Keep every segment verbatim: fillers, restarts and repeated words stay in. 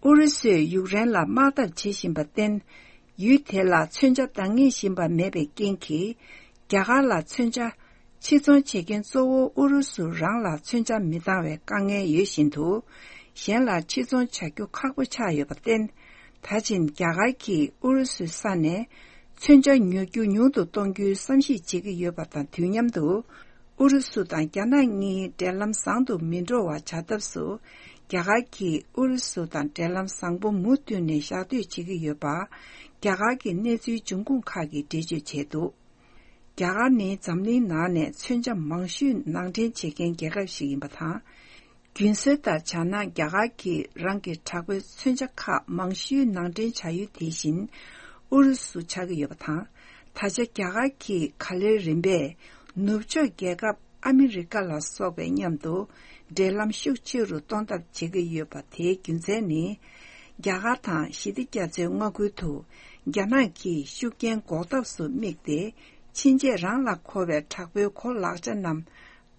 ཨུ་རུ་སུས་ཡུཀ་རེན་ལ་དམག་འཐབ་བྱེད་བཞིན་པར་བརྟེན། ཡུལ་དེ་ལ་མཚོན་ཆ་འདང་ངེས་བཞིན་པ་མེད་པའི་རྐྱེན་གྱིས། རྒྱ་གར་ལ་མཚོན་ཆ་ཕྱིར་ཚོང་བྱེད་མཁན་གཙོ་བོ་ཨུ་རུ་སུ་རང་ལ་མཚོན་ཆ་མི་འདང་བའི་དཀའ་ངལ་ཡོད་བཞིན་དུ། གཞན་ལ་ཕྱིར་ཚོང་བྱ་རྒྱུ་ཁག་པོ་ཆགས་ཡོད་པར་བརྟེན། ད་ཕྱིན་རྒྱ་གར་གྱིས་ཨུ་རུ་སུའི་ས་ནས་མཚོན་ཆ་ཉོ་རྒྱུ་ཉུང་དུ་གཏོང་རྒྱུའི་བསམ་གཞིག་བྱེད་ཀྱི་ཡོད་པ་དང་དུས་མཉམ་དུ། ཨུ་རུ་སུ་དང་རྒྱ་ནག་གཉིས་འབྲེལ་ལམ་བཟང་དུ་མི་འགྲོ་བ་བྱ་ཐབས་སུ། རྒྱ་གར་གྱིས་ཨུ་རུ་སུ་དང་འབྲེལ་ལམ་བཟང་པོ་མུ་མཐུད་ནས་བཞག་འདོད་བྱེད་ཀྱི་ཡོད་པ། རྒྱ་གར་གྱི་གནས་ཚུལ་འབྱུང་ཁུངས་ཁག་གིས་འགྲེལ་བརྗོད་བྱས་འདུག་རྒྱ་གར་ནི་འཛམ་གླིང་ནང་ནས་མཚོན་ཆ་མང་ཤོས་ནང་འདྲེན་བྱེད་མཁན་རྒྱལ་ཁབ་ཞིག་ཡིན་པ་དང་། རྒྱུན་སྲོལ་ལྟར་བྱས་ན། རྒྱ་གར་གྱིས་རང་གི་དྲག་པོའི་མཚོན་ཆ་ཁག་མང་ཤོས་ནང་འདྲེན་བྱ་ཡུལ་དེ་བཞིན་ཨུ་རུ་སུ་ཆགས་ཀྱི་ཡོད་པ་དང་། ད་ཆ་རྒྱ་གར་གྱིས་ག་ལེར་རིམ་པས་ནུབ་ཕྱོགས་རྒྱལ་ཁབ་ཨ་མི་རི་ཀ་ལ་སོགས་པའི་མཉམ་དུ་འབྲེལ་ལམ་ཤུགས་ཆེ་རུ་གཏོང་ཐབས་བྱེད་ཀྱི་ཡོད་པ། དེའི་རྒྱུ་མཚན་ནི། རྒྱ་གར་དང་ཞི་བདེ་རྒྱ་མཚོའི་མངའ་ཁུལ་དུ་རྒྱ་ནག་གིས་ཤུགས་རྐྱེན་འགོག་ཐབས་སུ་དམིགས་ཏེ། ཕྱིན་ཆད་རང་ལ་མཁོ་བའི་དྲག་པོའི་གོ་ལག་ཆ་རྣམས།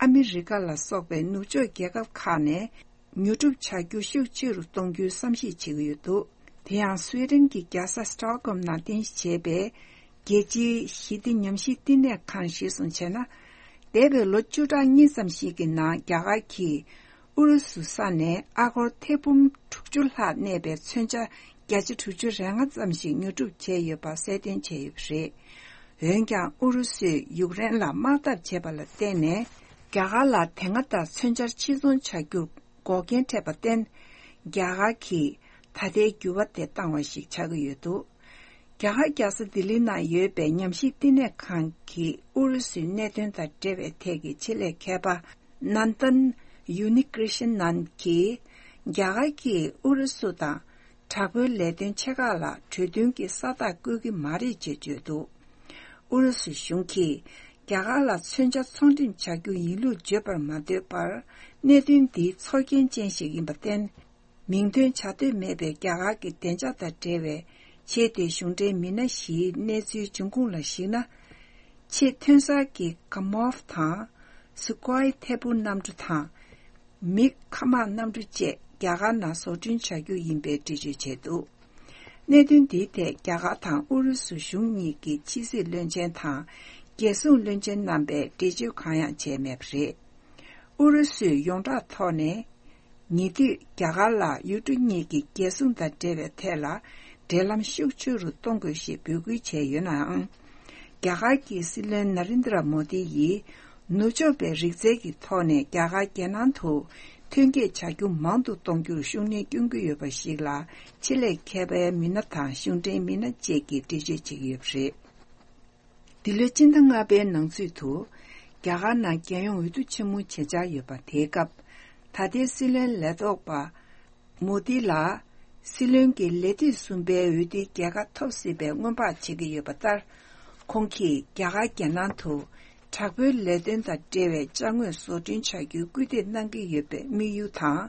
ཨ་མི་རི་ཀ་ལ་སོགས་པའི་ནུབ་ཕྱོགས་རྒྱལ་ཁབ་ཁག་ནས་ཉོ་སྒྲུབ་བྱ་རྒྱུ་ཤུགས་ཆེ་རུ་གཏོང་རྒྱུའི་བསམ་གཞིག་བྱེད་ཀྱི་ཡོད་འདུག་དེ་ཡང་སུའེ་ཏེན་གྱི་རྒྱལ་ས་སི་ཊོག་ཧོམ་ནང་རྟེན་གཞི་བྱས་པའི་རྒྱལ་སྤྱིའི་ཞི་བདེ་ཉམས་ཞིབ་བསྟི་གནས་ཁང་གཞིར་བཟུང་བྱས་ན། འདས་པའི་ལོ་བཅུ་ཕྲག་གཉིས་ཙམ་ཞིག་གི་ནང་རྒྱ་གར་གྱིས་ཨུ་རུ་སུ་ས་ནས་ཨ་སྒོར་ཐེར་འབུམ་དྲུག་ཅུ་ལྷག་གནས་པའི་མཚོན་ཆ་བརྒྱ་ཆ་དྲུག་ཅུ་རེ་ལྔ་ཙམ་ཞིག་ཉོ་སྒྲུབ་བྱས་ཡོད་པ་གསལ་སྟོན་བྱས་ཡོད་པ་རེད། འོན་ཀྱང་ཨུ་རུ་སུས་ཡུཀ་རེན་ལ་དམག་འཐབ་བྱས་པ་ལ་བརྟེན་ནས། རྒྱ་གར་ལ་དེ་སྔ་ལྟར་མཚོན་ཆར་ཕྱིར་ཚོང་བྱ་རྒྱུར་འགོག་རྐྱེན་འཕྲད་པར་བརྟེན། རྒྱ་གར་གྱིས་ད་ལྟའི་འགྱུར་བ་དེ་བཏང་བ་ཞིག་ཆགས་ཀྱི་ཡོད་འདུག་རྒྱ་གར་རྒྱལ་ས་ལྡི་ལི་ནང་ཡོད་པའི་ཉམས་ཞིབ་བསྟི་གནས་ཁང་གི་ཨུ་རུ་སུའི་གནད་དོན་དང་འབྲེལ་བའི་ཐད་ཀྱི་ཆེད་ལས་མཁས་པ་ནན་དན་ཡུ་ནི་ཀྲི་ཤན་ནན་གྱིས། རྒྱ་གར་གྱིས་ཨུ་རུ་སུ་དང་དྲག་པོའི་ལས་དོན་ཆེ་ཁག་ལ་གྲོས་མཐུན་གྱི་ས་རྟགས་བཀོད་ཀྱི་མ་རེད་ཅེས་བརྗོད་འདུག་ཨུ་རུ་སུ་གཞུང་གིས་རྒྱ་གར་ལ་མཚོན་ཆ་ཚོང་འགྲེམས་བྱ་རྒྱུ་ཡིན་ལུགས་བརྗོད་པར་མ་འདོད་པར། གནད་དོན་འདི་ཚོར་སྐྱེན་ཅན་ཞིག་ཡིན་པར་བརྟེན། མིང་འདོན་བྱ་འདོད་མེད་པའི་རྒྱ་གར་གྱི་བདེ་འཇགས་དང་འབྲེལ་བའི་ཆེས་མཐོའི་གཞུང་འབྲེལ་མི་སྣ་བཞིའི་གནས་ཚུལ་འབྱུང་ཁུངས་ལ་གཞིགས་ན། ཆེས་ཐོན་གསར་གྱི་ཀ་མོབ་དང་། སུ་ཀོའི་ཐེར་འབུམ་གནམ་གྲུ་དང་། མིག་མཁའ་དམག་གནམ་གྲུ་བཅས་རྒྱ་གར་ནང་བཟོ་སྐྲུན་བྱ་རྒྱུ་ཡིན་པའི་འགྲེལ་བརྗོད་བྱས་འདུག་གནད་དོན་འདིའི་ཐད་རྒྱ་གར་དང་ཨུ་རུ་སུ་གཞུང་གཉིས་ཀྱི་ཕྱི་སྲིད་བློན་ཆེན་དང་། རྒྱལ་སྲུང་བློན་ཆེན་རྣམ་པས་འགྲེལ་བརྗོད་གང་ཡང་བྱས་མེད་པ་རེད། ཨུ་རུ་སུས་ཡོངས་གྲགས་ཐོག་ནས། ཉེ་དུས་རྒྱ་གར་ལ་ཡུལ་གྲུ་གཉིས་ཀྱི་རྒྱལ་སྲུང་དང་འབྲེལ་བའི་ཐད་ལ་འབྲེལ་ལམ་ཤུགས་ཆེ་རུ་གཏོང་དགོས་ཞེས་འབོད་སྐུལ་བྱས་ཡོད་ནའང་། རྒྱ་གར་གྱི་སྲིད་བློན་ན་རིན་དྲ་མོ་དི་ཡིས་ནུབ་ཕྱོགས་པའི་རིག་རྩལ་གྱི་ཐོག་ནས་རྒྱ་གར་རྒྱལ་ནང་དུ་ཐོན་སྐྱེད་བྱ་རྒྱུ་མང་དུ་གཏོང་རྒྱུར་ཤུགས་སྣོན་སྐྱོན་གྱི་ཡོད་པ་ཞིག་ལ་ཆེད་ལས་མཁས་པའི་མི་སྣ་དང་གཞུང་འབྲེལ་མི་སྣ་བཅས་ཀྱིས་འགྲེལ་བརྗོད་བྱེད་ཀྱི་ཡོད་པ་རེད། འདི་ལོའི་སྤྱི་ཟླ་ལྔ་པའི་ནང་ཚུད་དུ། རྒྱ་གར་ནང་རྒྱལ་ཡོངས་འོས་བསྡུ་ཆེན་མོ་བྱེད་འཆར་ཡོད་པ། དེའི་སྐབས། ད་ལྟའི་སྲིད་བློན་ལས་ཐོག་པ། མོ་དི་ལ། སྲིད་བློན་གྱི་ལས་དུས་གསུམ་པའི་འོས་བསྡུའི་རྒྱལ་ཁ་ཐོབ་སྲིད་པའི་སྔོན་དཔག་བྱེད་ཀྱི་ཡོད་པ་ལྟར། ཁོང་གིས་རྒྱ་གར་རྒྱལ་ནང་དུ། དྲག་པོའི་ལས་དོན་དང་འབྲེལ་བའི་ཅ་དངོས་བཟོ་སྐྲུན་བྱ་རྒྱུའི་སྐུལ་འདེད་གནང་གི་ཡོད་པའི་དམིགས་ཡུལ་དང་།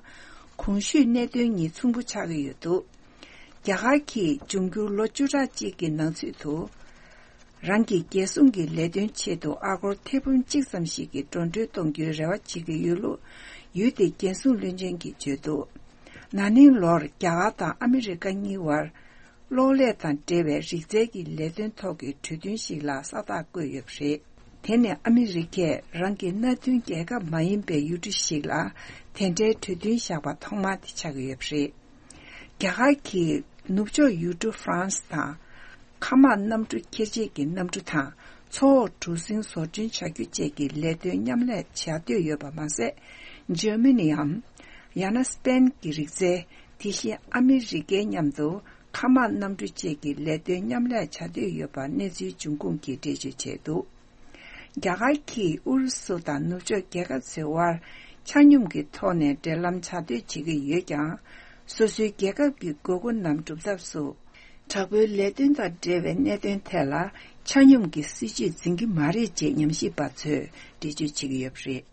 གོང་ཞུས་གནད་དོན་གཉིས་མཚུངས་པོ་ཆགས་ཀྱི་ཡོད་འདུག་རྒྱ་གར་གྱིས་འབྱུང་འགྱུར་ལོ་བཅུ་ཕྲག་གཅིག་གི་ནང་ཚུད་དུ། རང་གི་རྒྱལ་སྲུང་གི་ལས་དོན་ཆེད་དུ་ཨ་སྒོར་ཐེར་འབུམ་གཅིག་ཙམ་ཞིག་གི་འགྲོ་གྲོན་གཏོང་རྒྱུའི་རེ་བ་བྱེད་ཀྱི་ཡོད་ལུགས་ཡུལ་དེའི་རྒྱལ་སྲུང་བློན་ཆེན་གྱིས་བརྗོད་འདུག་ན་ནིང་ལོར་རྒྱ་གར་དང་ཨ་མི་རི་ཀ་གཉིས་བར་གློག་ཀླད་དང་འབྲེལ་བའི་རིག་རྩལ་གྱི་ལས་དོན་ཐོག་གི་གྲོས་མཐུན་ཞིག་ལ་ས་རྟགས་བཀོད་ཡོད་པ་རེད། དེ་ནི་ཨ་མི་རི་ཀས་རང་གི་མནའ་མཐུན་རྒྱལ་ཁབ་མ་ཡིན་པའི་ཡུལ་གྲུ་ཞིག་ལ་དེ་འདྲའི་གྲོས་མཐུན་བཞག་པ་ཐོག་མ་དེ་ཆགས་ཀྱི་ཡོད་པ་རེད། རྒྱ་གར་གྱིས་ནུབ་ཕྱོགས་ཡུལ་གྲུ་ཧྥ་རན་སི་དང་། མཁའ་དམག་གནམ་གྲུ་ཁྱེར་བྱེད་ཀྱི་གནམ་གྲུ་དང་མཚོ་འོག་གྲུ་གཟིངས་བཟོ་སྐྲུན་བྱ་རྒྱུ་བཅས་ཀྱི་ལས་དོན་མཉམ་ལས་བྱ་འདོད་ཡོད་པ་མ་ཟད། འཇར་མ་ནིའམ། ཡང་ན་སི་པེན་གྱི་རིག་རྩལ། དེ་བཞིན་ཨ་མི་རི་ཀའི་མཉམ་དུ་མཁའ་དམག་གནམ་གྲུ་བཅས་ཀྱི་ལས་དོན་མཉམ་ལས་བྱ་འདོད་ཡོད་པ་གནས་ཚུལ་འབྱུང་ཁུངས་ཀྱིས་འགྲེལ་བརྗོད་བྱས་འདུག་རྒྱ་གར་གྱིས་ཨུ་རུ་སུ་དང་ནུབ་ཕྱོགས་རྒྱལ་ཁབ་ཚོའི་དབར་ཆ་སྙོམས་ཀྱི་ཐོག་ནས་འབྲེལ་ལམ་བྱ་འདོད་བྱེད་ཀྱི་ཡོད་ཀྱང་། སོ་སོའི་རྒྱལ་ཁབ་ཀྱི་དགོས་མཁོ་རྣམས་སྒྲུབ་ཐབས་སུ། དྲག་པོའི་ལས་དོན་དང་འབྲེལ་བའི་གནད་དོན་ཐད་ལ་ཆ་སྙོམས་ཀྱི་སྲིད་བྱུས་འཛིན་གྱི་མ་རེད་ཅེས་ཉམས་ཞིབ་པ་ཚོས་འགྲེལ་བརྗོད་བྱེད་ཀྱི་ཡོད་པ་རེད།